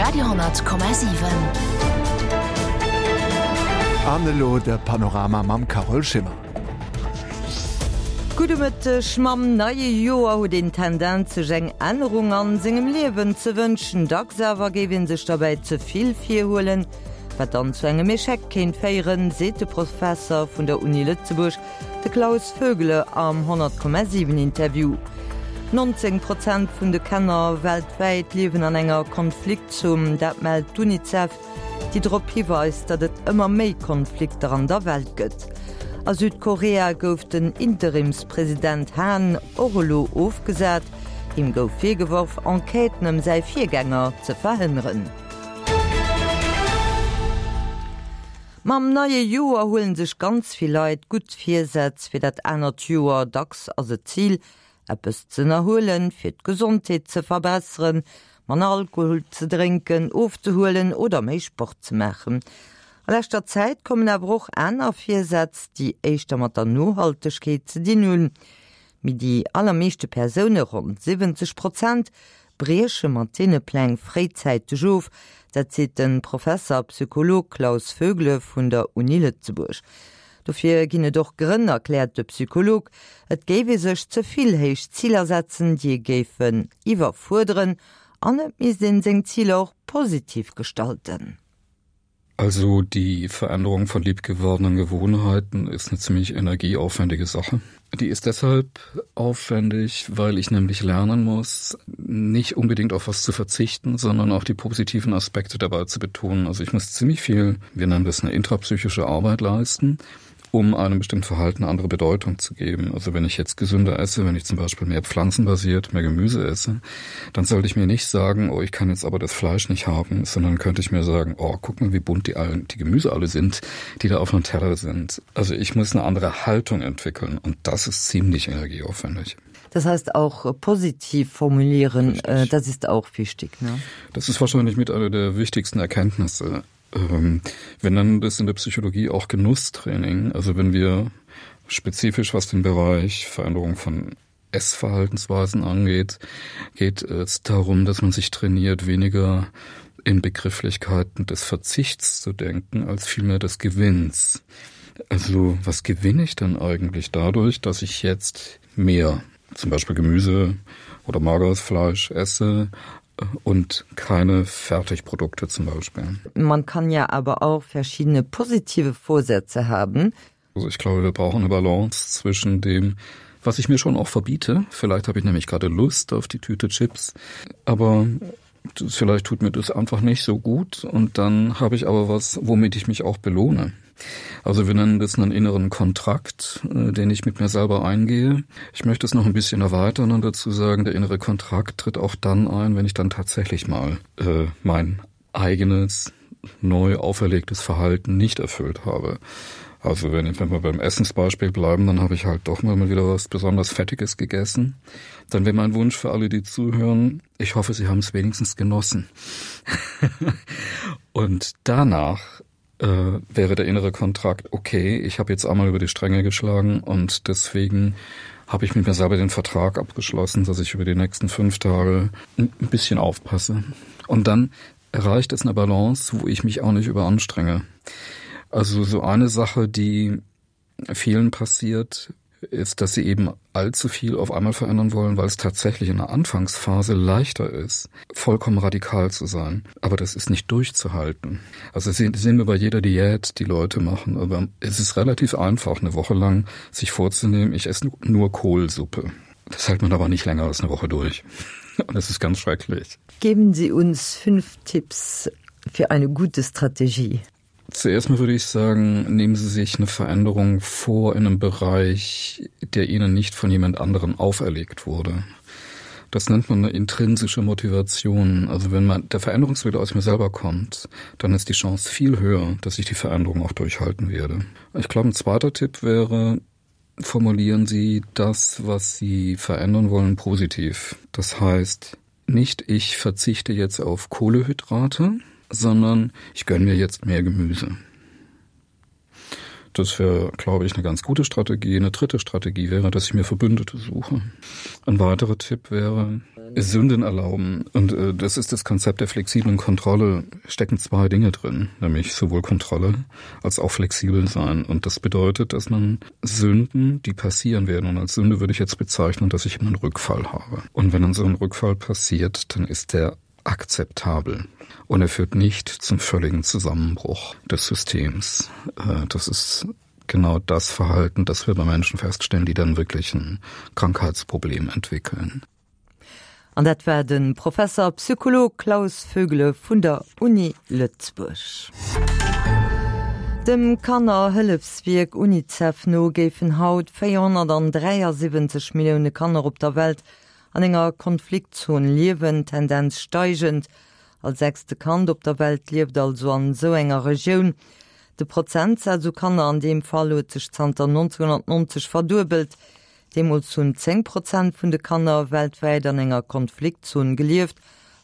Radio,7. An elo de Panorama mam Carole Schimmer. Gudde Mëtteg. Mam neie Joer huet een d'Tendenz sech eng Ännerung an sengem Liewen ze wënschen. Dacks awer géif een sech derbäi ze vill virhuelen, wat dann zu engem Echec kéint féieren, seet de Professer vun der Uni Lëtzebuerg, De Klaus Vögele am 100,7 Interview. 19 Prozent vun de Kanner weltwäit liewen an enger Konfliktzon, dat mellt d'UNICEF, déi drop hiweist, datt et ëmmer méi Konflikter an der Welt gëtt. A Südkorea gouf den Interimspresident Han och elo ofgesat. Him gouf virgeworf, Enquêten ëm säi Virgänger ze verhënneren. Mam neie Joer huelen sech ganz vill Leit gutt Virsätz fir dat anert Joer. Dacks ass et d'Zil, eppes z'ënnerhuelen, fir d'Gesondheet ze verbesseren, manner Alkohol ze drénken, ofzehuelen oder méi Sport ze maachen. A leschter Zäit kommen awer och aner Virsätz, déi éischter mat der Nohaltegkeet ze dinn hunn. Mee déi allermeeschte Persoune, ronn 70 Prozent, brieche mat deene Pläng fréizäiteg of. Dat seet de Professer a Psycholog Klaus Vögele vun der Uni Lëtzebuerg. Dofir ginn et och Grënn, erkläert de Psycholog. Et géif ee sech ze vill héich Ziler setzen, déi ee géifen iwwerfuerderen an et misst een seng Ziler och positiv gestalten. Also die Veränderung von liebgewordenen Gewohnheiten ist eine ziemlich energieaufwendige Sache. Die ist deshalb aufwendig, weil ich nämlich lernen muss, nicht unbedingt auf was zu verzichten, sondern auch die positiven Aspekte dabei zu betonen. Also ich muss ziemlich viel, wir nennen das eine intrapsychische Arbeit leisten, um einem bestimmten Verhalten eine andere Bedeutung zu geben. Also wenn ich jetzt gesünder esse, wenn ich zum Beispiel mehr pflanzenbasiert, mehr Gemüse esse, dann sollte ich mir nicht sagen, oh, ich kann jetzt aber das Fleisch nicht haben, sondern könnte ich mir sagen, oh, guck mal, wie bunt die, allen, die Gemüse alle sind, die da auf dem Teller sind. Also ich muss eine andere Haltung entwickeln und das ist ziemlich energieaufwendig. Das heißt auch positiv formulieren, äh, das ist auch wichtig. Ne? Das ist wahrscheinlich mit einer der wichtigsten Erkenntnisse. Ähm, wir nennen das in der Psychologie auch Genusstraining. Also wenn wir spezifisch was den Bereich Veränderung von Essverhaltensweisen angeht, geht es darum, dass man sich trainiert, weniger in Begrifflichkeiten des Verzichts zu denken, als vielmehr des Gewinns. Also was gewinne ich dann eigentlich dadurch, dass ich jetzt mehr zum Beispiel Gemüse oder mageres Fleisch esse und keine Fertigprodukte zum Beispiel. Man kann ja aber auch verschiedene positive Vorsätze haben. Also ich glaube, wir brauchen eine Balance zwischen dem, was ich mir schon auch verbiete. Vielleicht habe ich nämlich gerade Lust auf die Tüte Chips, aber vielleicht tut mir das einfach nicht so gut und dann habe ich aber was, womit ich mich auch belohne. Also wir nennen das einen inneren Kontrakt, äh, den ich mit mir selber eingehe. Ich möchte es noch ein bisschen erweitern und dazu sagen, der innere Kontrakt tritt auch dann ein, wenn ich dann tatsächlich mal äh, mein eigenes neu auferlegtes Verhalten nicht erfüllt habe. Also wenn, wenn wir beim Essensbeispiel bleiben, dann habe ich halt doch mal wieder was besonders Fettiges gegessen. Dann wäre mein Wunsch für alle, die zuhören, ich hoffe, sie haben es wenigstens genossen. und danach äh, wäre der innere Kontrakt, okay, ich habe jetzt einmal über die Stränge geschlagen und deswegen habe ich mit mir selber den Vertrag abgeschlossen, dass ich über die nächsten fünf Tage ein bisschen aufpasse. Und dann erreicht es eine Balance, wo ich mich auch nicht überanstrenge. Also so eine Sache, die vielen passiert, ist, dass sie eben allzu viel auf einmal verändern wollen, weil es tatsächlich in der Anfangsphase leichter ist, vollkommen radikal zu sein. Aber das ist nicht durchzuhalten. Also das sehen wir bei jeder Diät, die Leute machen. Aber es ist relativ einfach, eine Woche lang sich vorzunehmen, ich esse nur Kohlsuppe. Das hält man aber nicht länger als eine Woche durch. Und das ist ganz schrecklich. Geben Sie uns fünf Tipps für eine gute Strategie. Zuerst mal würde ich sagen, nehmen Sie sich eine Veränderung vor in einem Bereich, der Ihnen nicht von jemand anderem auferlegt wurde. Das nennt man eine intrinsische Motivation. Also wenn man der Veränderungswille aus mir selber kommt, dann ist die Chance viel höher, dass ich die Veränderung auch durchhalten werde. Ich glaube, ein zweiter Tipp wäre, formulieren Sie das, was Sie verändern wollen, positiv. Das heißt, nicht ich verzichte jetzt auf Kohlehydrate, sondern ich gönne mir jetzt mehr Gemüse. Das wäre, glaube ich, eine ganz gute Strategie. Eine dritte Strategie wäre, dass ich mir Verbündete suche. Ein weiterer Tipp wäre Sünden erlauben. Und äh, das ist das Konzept der flexiblen Kontrolle. Stecken zwei Dinge drin, nämlich sowohl Kontrolle als auch flexibel sein. Und das bedeutet, dass man Sünden, die passieren werden, und als Sünde würde ich jetzt bezeichnen, dass ich immer einen Rückfall habe. Und wenn dann so ein Rückfall passiert, dann ist der akzeptabel und er führt nicht zum völligen Zusammenbruch des Systems. Äh, das ist genau das Verhalten, das wir bei Menschen feststellen, die dann wirklich ein Krankheitsproblem entwickeln. An dat war de Professer Psycholog Klaus Vögele vun der Uni Lëtzebuerg. Dem Kannerhëllefswierk Unicef no géifen haut 473 Millioune Kanner op der Welt an enger Konfliktzon liewen, Tendenz steigend. All sechste Kand op der Welt lieft also an esou enger Regioun. De Prozentsaz u Kanner an deem Fall huet sech zanter 1990 verduebelt. Deemools hunn 10 Prozent vun de Kanner weltwäit an enger Konfliktzon gelieft,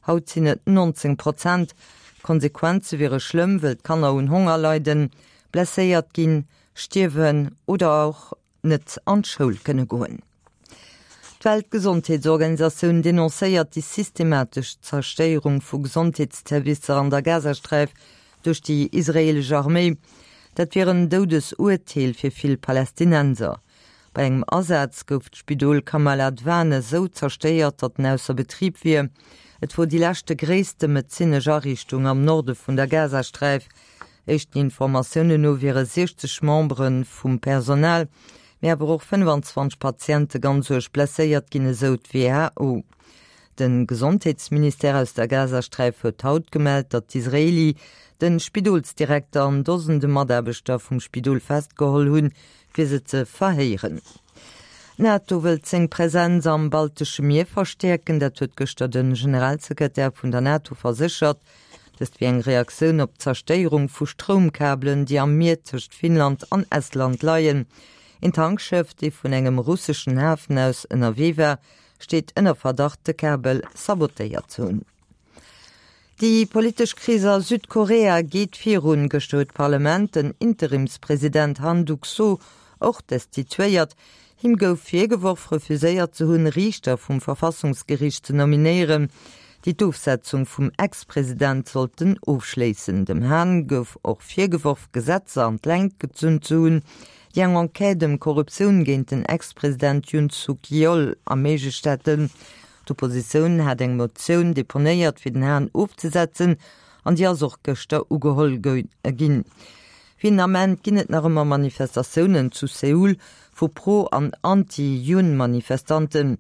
haut sinn et 19 Prozent. D'Konsequenze wiere schlëmm, wëll d'Kanner un Honger leiden, blesséiert ginn, stierwen oder och net an d'Schoul kënne goen. D'Weltgesondheetsorganisatioun denoncéiert déi systematesch Zerstéierung vu Gesondheetszervicer an der Gazasträif duerch déi israeelesch Arméi. Dat wier en Doudesurteel fir vill Palästinenser. Bei engem Asaz gouf d'Spidol Kamal Adwan esou zerstéiert, datt en ausser Betrib wier. Et wor déi leschte gréisste medezinesch Ariichtung am Norde vun der Gazasträif. Éischten Informatiounen no wiere 60 Membere vum Personal, mee awer och 25 Patiente ganz uerg blesséiert ginn, esou d'WHO. De Gesondheetsministère aus der Gazasträif huet haut gemellt, datt d'Israeli de Spidolsdirekter an Dosende Mataarbechter vum Spidol festgeholl hunn, fir se ze verhéieren. D'NATO wëllt seng Präsenz am baltesche Mier verstäerken. Dat huet gëschter de Generalsekretär vun der NATO verséchert. Dëst wier eng Reaktioun op d'Zerstéierung vu Stroumkabelen, déi am Mier tëscht Finnland an Estland leien. Een Tankschëff, dee vun engem russeschen Hafen aus ënnerwee war, steet ënner Verdacht, de Kabel sabotéiert ze hunn. Déi politesch Kris a Südkorea geet virun. Gëschter huet d'Parlament den Interimspresident Han Duck-soo och destituéiert. Him gouf virgeworf, refuséiert ze hunn, Riichter vum Verfassungsgeriicht ze nominéieren, déi d'Ofsetzung vum Ex-President sollten ofschléissen. Dem Han gouf och virgeworf, Gesetzer an d'Längt gezunn ze hunn, déi eng Enquête ëm Korruptioun géint den Ex-President Yoon Suk Yeol erméiglecht hätten. D'Oppositioun hat eng Motioun deponéiert, fir den Han ofzesetzen, an déi ass och gëschter ugeholl ginn. Fir den Ament ginn et nach ëmmer Manifestatiounen zu Seoul vu Pro an Anti-Yoon-Manifestanten.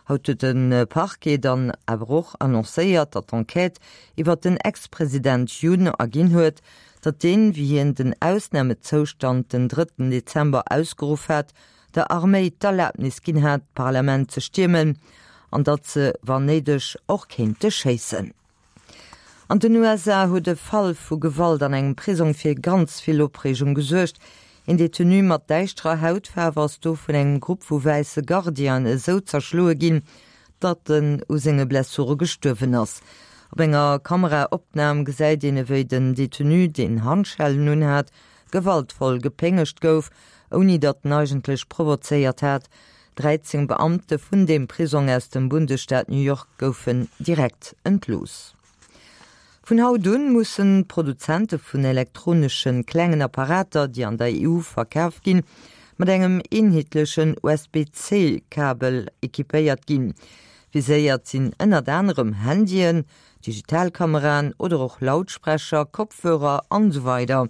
Haut huet de Parquet dann awer och annoncéiert, datt d'Enquête iwwer den Ex-President Yoon erginn huet, datt deen, wéi hien den Ausnamezoustand den drëtten Dezember ausgeruff hat, der Arméi d'Erlabnis ginn hat, d'Parlament ze stiermen an datt se, wann néideg, och kéinte schéissen. An den USA huet e Fall vu Gewalt an engem Prisong fir ganz vill Opreegung gesuergt. Een Detenu mat däischterer Hautfaarf ass do vun engem Grupp vu wäisse Gardienen esou zerschloe ginn, datt en u senge Blessure gestuerwen ass. Op enger Kameraopnam gesäit een ewéi den Detenu, deen Handschellen unhat, gewaltvoll gepéngegt gouf, ouni datt en eigentlech provozéiert hat. 13 Beamte vun deem Prisong aus dem Bundesstaat New York goufen direkt entlooss. Vun haut un mussen d'Produzente vun elektronesche klengen Apparater, déi an der EU verkaf ginn, mat engem eenheetlechen USB-C-Kabel equipéiert ginn. Viséiert sinn ënnert anerem Handyen, Digitalkameraen oder och Lautsprecher, Kopfhörer an esou weider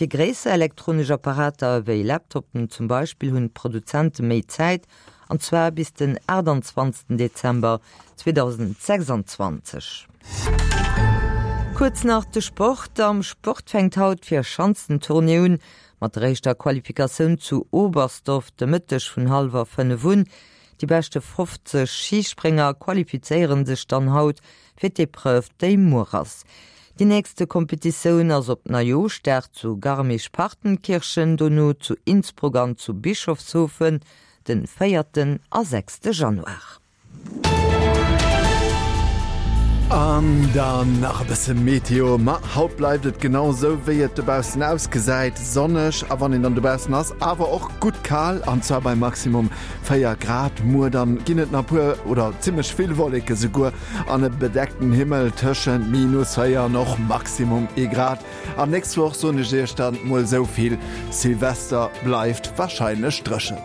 Fir gréisser elektronesch Apparater ewéi Laptopen zum Beispill hunn d'Produzente méi Zäit, an zwar bis den 28 Dezember 2026. Kuerz nach de Sport, Am Sport fänkt haut d'Vierschanzentournée un, mat der éischter Qualifikatioun zu Oberstdorf de Mëtteg vun hallwer 5 un. Déi beschte 50 Schisprénger qualifizéiere sech dann haut fir d'Epreuve, déi muer ass. Déi nächste Kompetitioun ass op Neijooschdag zu Garmisch-Partenkirchen, dono zu Innsbruck an zu Bischofshofen den véierten a sechste Januar. An. An dann nach e bësse Meteo, Ma haut bleift et genau esou wéi et dobaussen ausgesäit, sonneg a wann een dann dobaussen ass awer och gutt kal, an zwar bei Maximum 4 Grad. Muer dann ginn et nach puer oder zimmlech vill Wolleke souguer an e bedeckten Himmel tëschent minus 4 an och Maximum ee Grad. An nächst Woch soen ech iech dann mol esou vill, Silvester bleift warscheinlech dréchen.